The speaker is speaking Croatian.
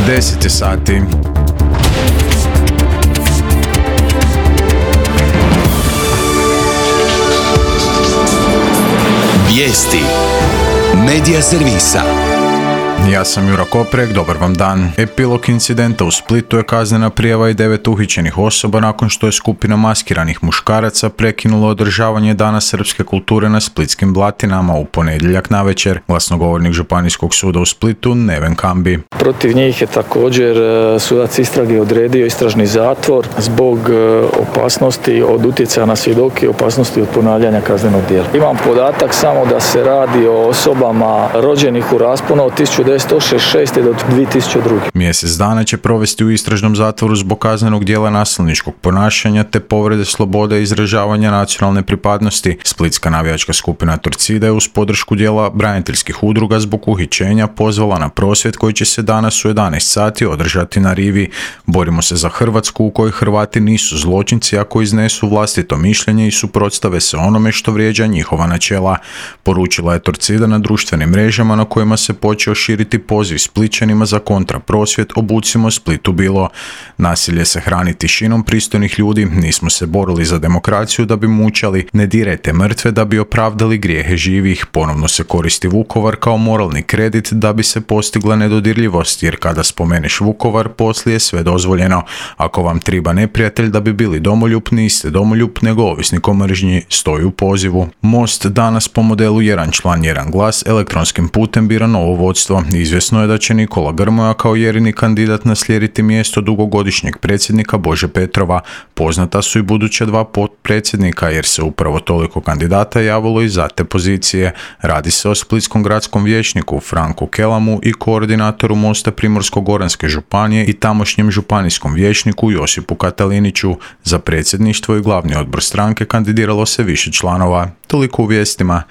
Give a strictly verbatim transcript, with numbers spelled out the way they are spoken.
deset sati. Vijesti Medija servisa. Ja sam Jura Koprek, dobar vam dan. Epilog incidenta u Splitu je kaznena prijava i devet uhićenih osoba nakon što je skupina maskiranih muškaraca prekinula održavanje Dana srpske kulture na splitskim Blatinama u ponedjeljak navečer. Glasnogovornik Županijskog suda u Splitu Neven Kambi. Protiv njih je također sudac istrage odredio istražni zatvor zbog opasnosti od utjecaja na svjedoke i opasnosti od ponavljanja kaznenog djela. Imam podatak samo da se radi o osobama rođenih u rasponu od tisuću devetsto šezdeset šeste do dvije tisuće druge. Mjesec dana će provesti u istražnom zatvoru zbog kaznenog djela nasilničkog ponašanja te povrede slobode izražavanja nacionalne pripadnosti. Splitska navijačka skupina Torcida je uz podršku dijela braniteljskih udruga zbog uhićenja pozvala na prosvjed koji će se danas u jedanaest sati održati na rivi. Borimo se za Hrvatsku u kojoj Hrvati nisu zločinci ako iznesu vlastito mišljenje i suprotstave se onome što vrijeđa njihova načela. Poručila je Torcida na društvenim mrežama na kojima se počeo širiti poziv Splićanima za kontraprosvjed Obucimo Splitu bilo. Nasilje se hrani tišinom pristojnih ljudi, nismo se borili za demokraciju da bi mučali, ne dirajte mrtve da bi opravdali grijehe živih, ponovno se koristi Vukovar kao moralni kredit da bi se postigla nedodirljivost, jer kada spomeneš Vukovar poslije je sve dozvoljeno. Ako vam triba neprijatelj da bi bili domoljub, niste domoljub nego ovisnik o mržnji, stoji u pozivu. Most danas po modelu jedan član, jedan glas elektronskim putem bira novo vodstvo. Izvjesno je da će Nikola Grmoja kao jedini kandidat naslijediti mjesto dugogodišnjeg predsjednika Bože Petrova. Poznata su i buduća dva potpredsjednika jer se upravo toliko kandidata javilo i za te pozicije. Radi se o splitskom gradskom vijećniku Franku Kelamu i koordinatoru Mosta Primorsko-goranske županije i tamošnjem županijskom vijećniku Josipu Kataliniću. Za predsjedništvo i glavni odbor stranke kandidiralo se više članova. Toliko u vijestima.